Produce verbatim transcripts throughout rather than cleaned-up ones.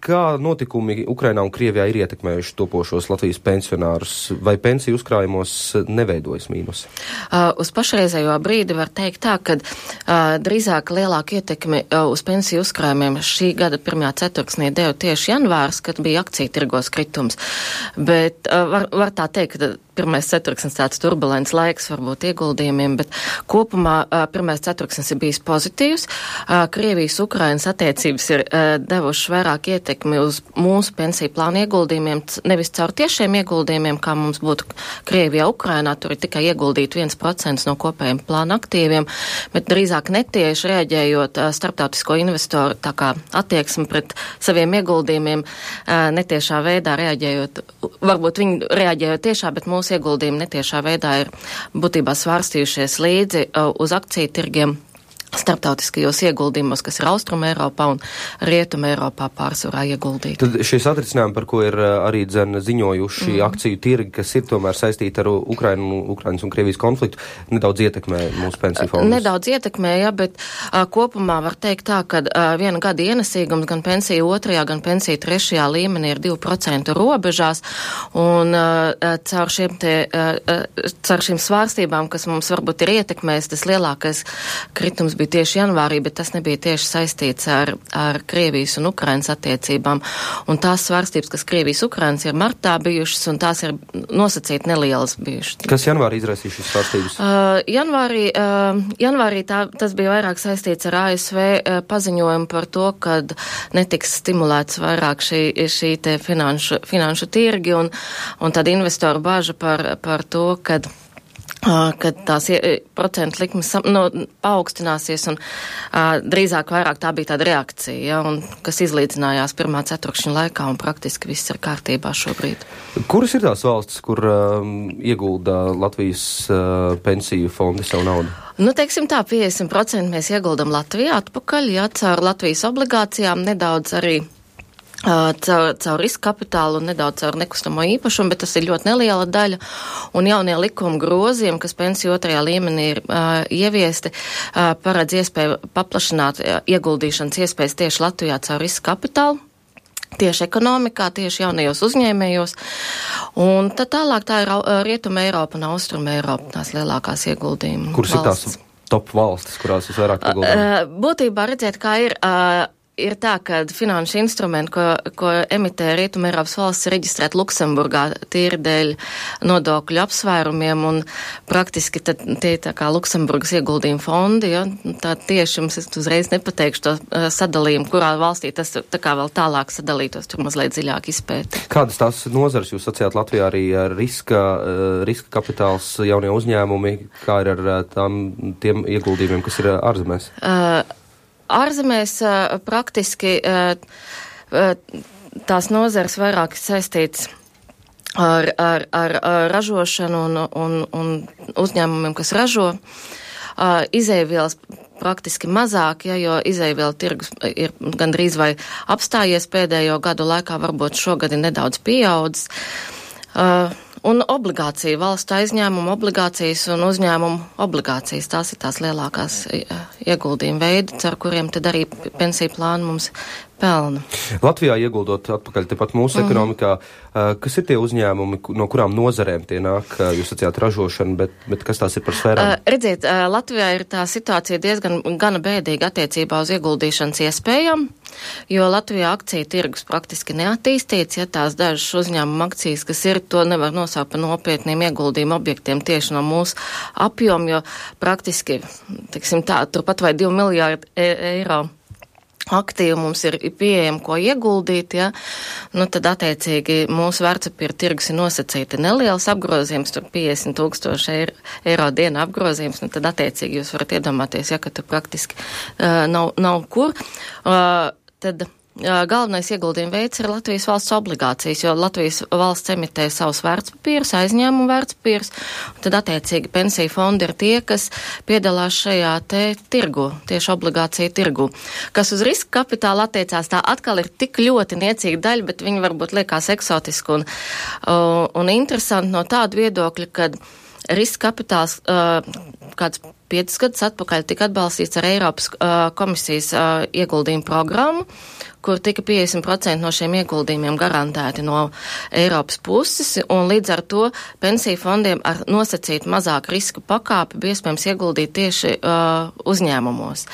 kā notikumi Ukrainā un Krievijā ir ietekmējuši topošos Latvijas pensionārus? Vai pensiju uzkrājumos neveidojas mīnus? Uh, uz pašreizējo brīdi var teikt tā, ka uh, drīzāk lielāku ietekmi uh, uz pensiju uzkrājumiem šī gada pirmajā ceturksnī deva tieši janvārs, kad bija akciju tirgos kritums. Bet uh, var, var tā teikt, ka pirmais ceturksnis tāds turbulents laiks varbūt ieguldījumiem, bet kopumā uh, pirmais ceturksnis ir bijis pozitīvs. Uh, Krievijas Ukrainas attiecības ir uh, devuši vairāk ietekmi uz mūsu pensiju plānu ieguldījumiem, nevis caur tiešiem ieguldījumiem, kā mums būtu Krievijā, Ukrainā, tur ir tikai ieguldīt viens procents no kopējiem plānu aktīviem, bet drīzāk netieši reaģējot uh, starptautisko investoru tā kā attieksmi pret saviem ieguldījumiem, uh, netiešā veidā reaģējot, varbūt viņi reaģējot tiešā, bet mūsu ieguldījumi netiešā veidā ir būtībā svārstījušies līdzi uh, uz akciju tirgiem starptautiskajos ieguldījumos, kas ir Austrum Eiropā un Rietum Eiropā pārsvarā ieguldīti. Tad šie satricinājumi, par ko ir arī dzen ziņojuši mm. akciju tirgi, kas ir tomēr saistīti ar Ukrainu, Ukrainas un Krievijas konfliktu, nedaudz ietekmē mūsu pensiju fondus? Nedaudz ietekmē, jā, bet uh, kopumā var teikt tā, ka uh, viena gada ienesīgums gan pensiju otrajā, gan pensiju trešajā līmenī ir divi procenti robežās, un uh, caur šiem te, uh, caur šīm svārstībām, kas mums varbūt ir ietekmējis, tas lielākais kritums bija tieši janvārī, bet tas nebija tieši saistīts ar, ar Krievijas un Ukrainas attiecībām. Un tās svārstības, kas Krievijas Ukrainas ir martā bijušas, un tās ir nosacīti nelielas bijušas. Kas janvārī izraisīja šīs svārstības? Uh, janvārī uh, janvārī tā, tas bija vairāk saistīts ar A S V uh, paziņojumu par to, kad netiks stimulēts vairāk šī, šī te finanšu, finanšu tirgi, un, un tad investoru bāža par, par to, kad Uh, kad tās procentu likmes no, paaugstināsies un uh, drīzāk vairāk tā bija tāda reakcija, ja, un, kas izlīdzinājās pirmā ceturkšņa laikā, un praktiski viss ir kārtībā šobrīd. Kuras ir tās valstis, kur um, iegulda Latvijas uh, pensiju fondi savu naudu? Nu, teiksim tā, piecdesmit procenti mēs ieguldam Latvijā atpakaļ, ja, caur Latvijas obligācijām, nedaudz arī Uh, caur, caur riska kapitālu un nedaudz caur nekustamo īpašumu, bet tas ir ļoti neliela daļa. Un jaunie likuma grozījumi, kas pensiju otrajā līmenī ir uh, ieviesti, uh, paredz iespēju paplašināt uh, ieguldīšanas iespējas tieši Latvijā caur riska kapitālu, tieši ekonomikā, tieši jaunajos uzņēmējos. Un tad tālāk tā ir uh, Rietuma Eiropa un Austruma Eiropa, tās lielākās ieguldījuma Kuras valsts. Ir tās top valstis, kurās visvairāk ieguldām? Uh, būtībā redzēt, kā ir... Uh, Ir tā, ka finanšu instrumenti, ko, ko emitē Rietuma Eiropas valsts, ir reģistrēti Luksemburgā tīri dēļ nodokļu apsvērumiem, un praktiski tad tie tā kā Luksemburgas ieguldījuma fondi, ja, tā tieši jums es uzreiz nepateikšu to uh, sadalījumu, kurā valstī tas tā kā vēl tālāk sadalītos, tur mazliet dziļāk izpēti. Kādas tās nozares jūs sacījāt Latvijā arī riska, uh, riska kapitāls jaunie uzņēmumi, kā ir ar uh, tām, tiem ieguldījumiem, kas ir uh, ārzemēs? Uh, Ārzemēs uh, praktiski uh, uh, tās nozares vairāk saistīts ar, ar, ar, ar ražošanu un, un, un uzņēmumiem, kas ražo. Uh, izēvielas praktiski mazāk, ja, jo izēvielu tirgus ir gandrīz vai apstājies pēdējo gadu laikā, varbūt šogad ir nedaudz pieaudzis. Uh, Un obligācija, valstu aizņēmuma obligācijas un uzņēmumu obligācijas, tās ir tās lielākās ieguldījuma veidi, ar kuriem tad arī pensiju plānu mums pelna. Latvijā ieguldot atpakaļ tepat mūsu mm. ekonomikā, kas ir tie uzņēmumi, no kurām nozarēm tie nāk? Jūs sacījāt ražošanu, bet, bet kas tās ir par sfērām? Uh, redziet, uh, Latvijā ir tā situācija diezgan gana bēdīga attiecībā uz ieguldīšanas iespējām, jo Latvijā akciju tirgus praktiski neattīstīts, ja tās dažas uzņēmuma akcijas, kas ir, to nevar nosaukt par nopietniem ieguldījumu objektiem tieši no mūsu apjomu, jo praktiski, teiksim tā, turpat vai divi miljārdi e eiro aktīvi mums ir pieejami, ko ieguldīt, ja, nu tad attiecīgi mūsu vērtspapīra tirgus ir nosacīti neliels apgrozījums, tur piecdesmit tūkstoši eiro, eiro diena apgrozījums, nu tad attiecīgi jūs varat iedomāties, ja, ka tur praktiski uh, nav, nav kur, uh, tad galvenais ieguldījuma veids ir Latvijas valsts obligācijas, jo Latvijas valsts emitē savus vērtspapīrus, aizņēmumu vērtspapīrus, un tad attiecīgi pensiju fondi ir tie, kas piedalās šajā te tirgu, tieši obligāciju tirgu. Kas uz riska kapitāla attiecās, tā atkal ir tik ļoti niecīga daļa, bet viņi varbūt liekas eksotiski un, un interesanti no tāda viedokļa, kad riska kapitāls uh, kāds piecus gadus atpakaļ tika atbalstīts ar Eiropas uh, komisijas uh, ieguldījumu programmu, kur tika piecdesmit procenti no šiem ieguldījumiem garantēti no Eiropas puses, un līdz ar to pensiju fondiem ar nosacītu mazāku risku pakāpi bija iespējams ieguldīt tieši uh, uzņēmumos,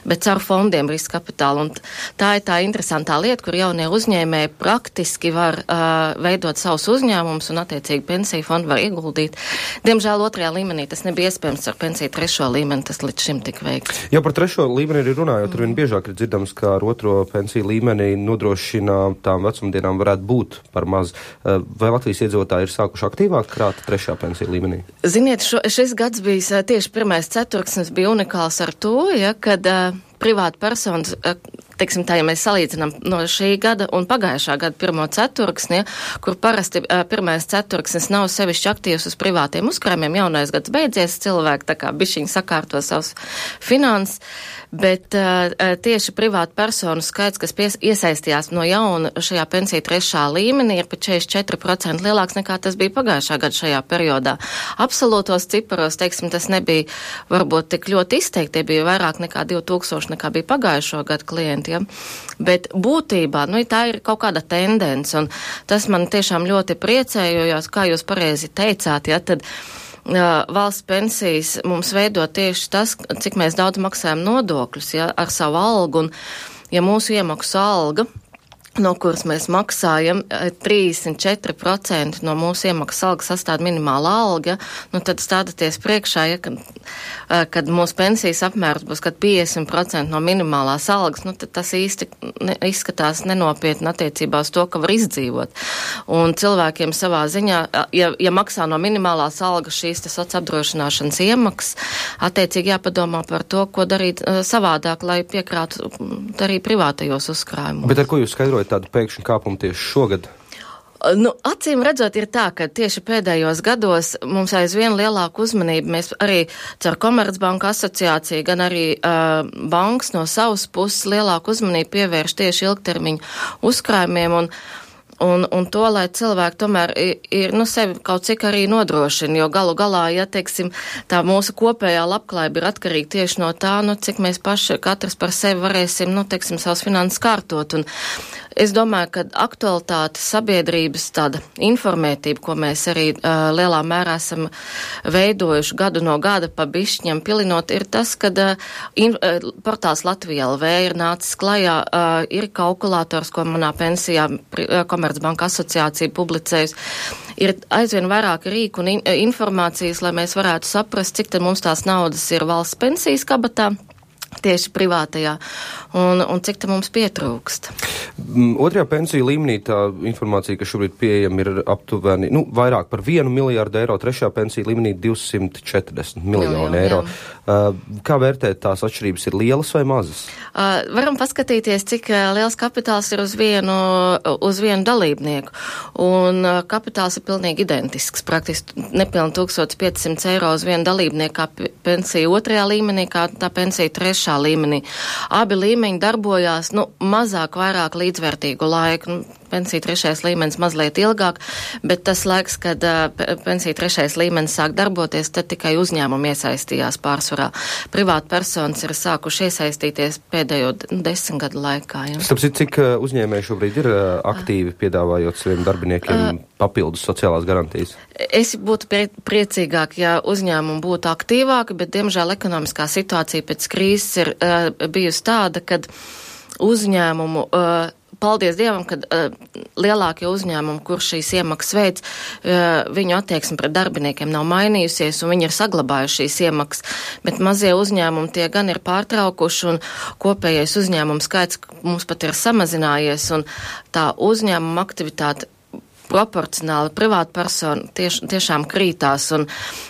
bet caur fondiem riska kapitālu. Un tā ir tā interesantā lieta, kur jaunie uzņēmēji praktiski var uh, veidot savus uzņēmumus un attiecīgi pensiju fondu var ieguldīt. Diemžēl otrajā līmenī tas nebija iespējams ar pensiju trešo līmeni, tas līdz šim tika veikts. Ja par trešo līmeni ir runājot, tur vien biežāk ir dzirdams, ka ar otro pensiju līmeni nodrošina tām vecumdienām varētu būt par maz. Vai Latvijas iedzīvotāji ir sākuši aktīvāk krāt trešā pensiju līmenī? Ziniet, šo, šis gads bija tieši pirmais ceturksnis bija unikāls ar to, ja, kad uh, privāta personas, uh, teiksim tā, ja mēs salīdzinām no šī gada un pagājušā gada pirmo ceturksni, ja, kur parasti uh, pirmais ceturksnis nav sevišķi aktīvs uz privātiem uzkrājumiem, jaunais gads beidzies, cilvēki tā kā bišķiņi sakārto savus finanses, bet uh, tieši privāta personu skaits, kas pies, iesaistījās no jauna šajā pensiju trešā līmenī, ir pat četrdesmit četri procenti lielāks nekā tas bija pagājušā gada šajā periodā. Absolūtos ciparos, teiksim, tas nebija varbūt tik ļoti izteikti, tie bija vairāk nekā divi tūkstoši nekā bija pagājušo gadu klienti, ja? Bet būtībā, nu, tā ir kaut kāda tendence, un tas man tiešām ļoti priecē, jo, jo kā jūs pareizi teicāt, ja, tad Uh, valsts pensijas mums veido tieši tas, cik mēs daudz maksājam nodokļus, ja, ar savu algu, un ja mūsu iemaksu alga, no kuras mēs maksājam, trīsdesmit četri procenti no mūsu iemaksas algas sastāv minimāla alga, nu tad stādaties priekšā, ja, kad, kad mūsu pensijas apmērs būs, kad piecdesmit procenti no minimālās algas, nu tad tas īsti ne, izskatās nenopietni attiecībā uz to, ka var izdzīvot. Un cilvēkiem savā ziņā, ja, ja maksā no minimālās algas šīs tas apdrošināšanas iemaksas, attiecīgi jāpadomā par to, ko darīt uh, savādāk, lai piekrātu arī privātajos uzkrājumos. Bet ar ko jūs skaidrojat tādu pēkšņu kāpumu tieši šogad? Nu, acīm redzot ir tā, ka tieši pēdējos gados mums aizvien lielāku uzmanību mēs arī caur Komercbanku asociāciju, gan arī uh, bankas no savas puses lielāku uzmanību pievērš tieši ilgtermiņu uzkrājumiem un Un, un to, lai cilvēki tomēr ir, ir, nu, sevi kaut cik arī nodrošina, jo galu galā, ja, teiksim, tā mūsu kopējā labklājība ir atkarīga tieši no tā, nu, cik mēs paši katrs par sevi varēsim, nu, teiksim, savus finanses kārtot. Un es domāju, ka aktualitāte sabiedrības tāda informētība, ko mēs arī uh, lielā mērā esam veidojuši gadu no gada pa bišķņam pilinot, ir tas, ka uh, in, uh, portāls Latvija L V ir nācis klajā, uh, ir kalkulators, ko manā pensijā uh, Komercbanka asociācija publicējusi. Ir aizvien vairāk rīku un in, informācijas, lai mēs varētu saprast, cik tad mums tās naudas ir valsts pensijas kabatā, tieši privātajā, un, un cik te mums pietrūkst. Otrajā pensiju līmenī tā informācija, kas šobrīd pieejama, ir aptuveni, nu, vairāk par vienu miljārdu eiro, trešajā pensiju līmenī divsimt četrdesmit miljonu eiro. Uh, kā vērtēt, tās atšķirības ir lielas vai mazas? Uh, varam paskatīties, cik uh, liels kapitāls ir uz vienu, uz vienu dalībnieku, un uh, kapitāls ir pilnīgi identisks, praktiski nepilni tūkstoš piecsimt eiro uz vienu dalībnieku kā pensija otrajā līmenī, kā tā pensija trešā līmenī. Abi līmeņi darbojās, nu, mazāk, vairāk līdzvērtīgu laiku. Nu, pensija trešais līmenis mazliet ilgāk, bet tas laiks, kad uh, pensija trešais līmenis sāk darboties, tad tikai uzņēmumi iesaistījās pārsvarā. Privāta personas ir sākuši iesaistīties pēdējo desmit gadu laikā. Ja. Tāpēc, cik uh, uzņēmēji šobrīd ir uh, aktīvi piedāvājot saviem darbiniekiem uh, papildus sociālās garantijas? Es būtu prie, priecīgāk, ja uzņēmumi būtu aktīvāki, bet, diemžēl, ekonomiskā situācija pēc krīzes ir uh, bijusi tāda, kad uzņēmumu uh, paldies Dievam, ka uh, lielākie uzņēmumi, kur šīs iemaksas veids, uh, viņu attieksme pret darbiniekiem nav mainījusies un viņi ir saglabājuši šīs iemaksas, bet mazie uzņēmumi tie gan ir pārtraukuši un kopējais uzņēmumu skaits mums pat ir samazinājies un tā uzņēmuma aktivitāte proporcionāli privāta persona tieš, tiešām krītās un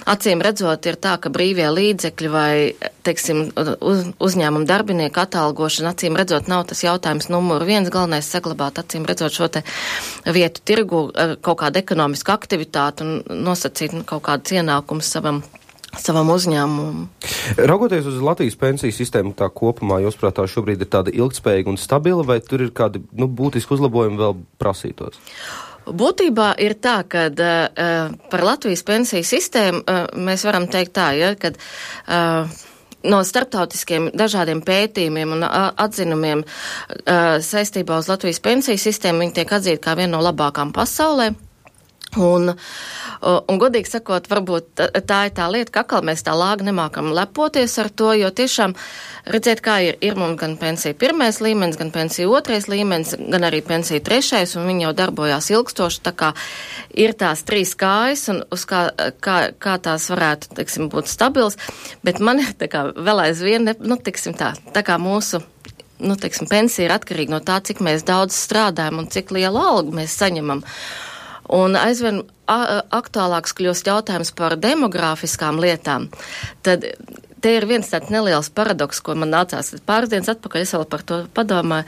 acīm redzot ir tā, ka brīvie līdzekļi vai, teiksim, uz, uzņēmuma darbinieku atalgošana, acīm redzot, nav tas jautājums numuru viens, galvenais saglabāt, acīm redzot, šo te vietu tirgu, kaut kādu ekonomisku aktivitātu un nosacīt nu, kaut kādus ienākumus savam savam uzņēmumam. Raugoties uz Latvijas pensiju sistēmu tā kopumā, jūs prātā šobrīd ir tāda ilgtspējīga un stabila, vai tur ir kādi, nu, būtiski uzlabojumi vēl prasītos? Būtībā ir tā, ka uh, par Latvijas pensiju sistēmu uh, mēs varam teikt tā, ja, kad uh, no starptautiskiem dažādiem pētījumiem un atzinumiem saistībā uz Latvijas pensiju sistēmu, viņi tiek atzīti kā viena no labākām pasaulē. Un, un godīgi sakot, varbūt tā ir tā lieta, ka atkal mēs tā lāgi nemākam lepoties ar to, jo tiešām redzēt, kā ir, ir mums gan pensija pirmais līmenis, gan pensija otrais līmenis, gan arī pensija trešais, un viņi jau darbojās ilgstoši, tā kā ir tās trīs kājas, un uz kā, kā, kā tās varētu, teiksim, būt stabils, bet man ir tā kā vēl aizvien, ne, nu, teiksim tā, tā kā mūsu nu, teiksim, pensija ir atkarīga no tā, cik mēs daudz strādājam un cik lielu algu mēs saņemam. Un aizvien aktuālāks kļūst jautājums par demogrāfiskām lietām. Tad te ir viens tāds neliels paradoks, ko man nācās pāris dienas atpakaļ, es vēl par to padomāju,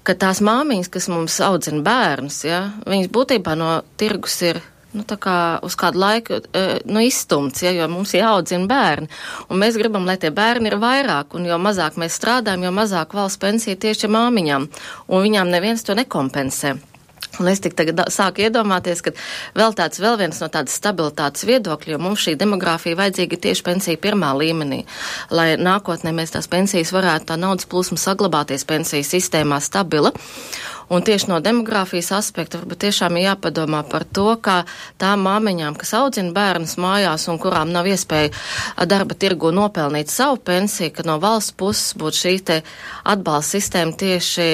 ka tās māmiņas, kas mums audzina bērnus, ja, viņas būtībā no tirgus ir nu, tā kā uz kādu laiku nu, izstumts, ja, jo mums jāaudzina bērni. Un mēs gribam, lai tie bērni ir vairāk, un jo mazāk mēs strādājam, jo mazāk valsts pensija tieši māmiņām, un viņām neviens to nekompensē. Un es tik tagad sāku iedomāties, ka vēl tāds, vēl viens no tādas stabilitātes viedokļa, jo mums šī demogrāfija vajadzīga tieši pensija pirmā līmenī, lai nākotnē mēs tās pensijas varētu tā naudas plūsma saglabāties pensiju sistēmā stabila. Un tieši no demogrāfijas aspekta varbūt tiešām ir jāpadomā par to, kā tām māmiņām, kas audzina bērnus mājās un kurām nav iespēja darba tirgu nopelnīt savu pensiju, ka no valsts puses būtu šī te atbalsta sistēma tieši,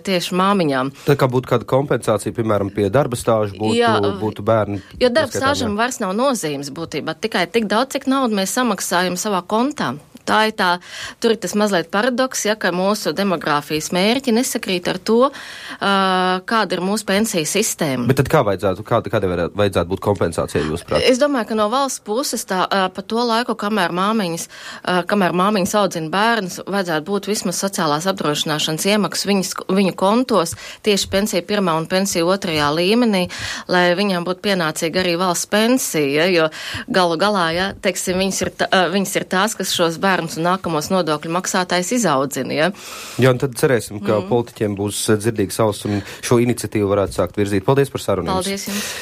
tieši māmiņām. Tā kā būtu kāda kompensācija, piemēram, pie darba stāžu būtu, jā, būtu bērni. Jo darba stāžam vairs nav nozīmes būtībā, tikai tik daudz, cik naudu mēs samaksājam savā kontā. Tā ir tā, tur ir tas mazliet paradoks, ja, ka mūsu demogrāfijas mērķi nesakrīt ar to, uh, kāda ir mūsu pensiju sistēma. Bet tad kā vajadzētu, kā, kāda vajadzētu būt kompensācija jūs prāt? Es domāju, ka no valsts puses tā, uh, pa to laiku, kamēr māmiņas, uh, kamēr māmiņas audzina bērnus, vajadzētu būt vismaz sociālās apdrošināšanas iemaksas viņas, viņu kontos tieši pensija pirmā un pensija otrajā līmenī, lai viņām būtu pienācīga arī valsts pensija, jo galu galā, ja, teiksim, viņas ir, tā, uh, viņas ir tās, kas šos bērnus un nākamos nodokļu maksātājs izaudzina, ja? Jā, un tad cerēsim, ka mm. politiķiem būs dzirdīgs auss un šo iniciatīvu varētu sākt virzīt. Paldies par sarunu. Paldies jums.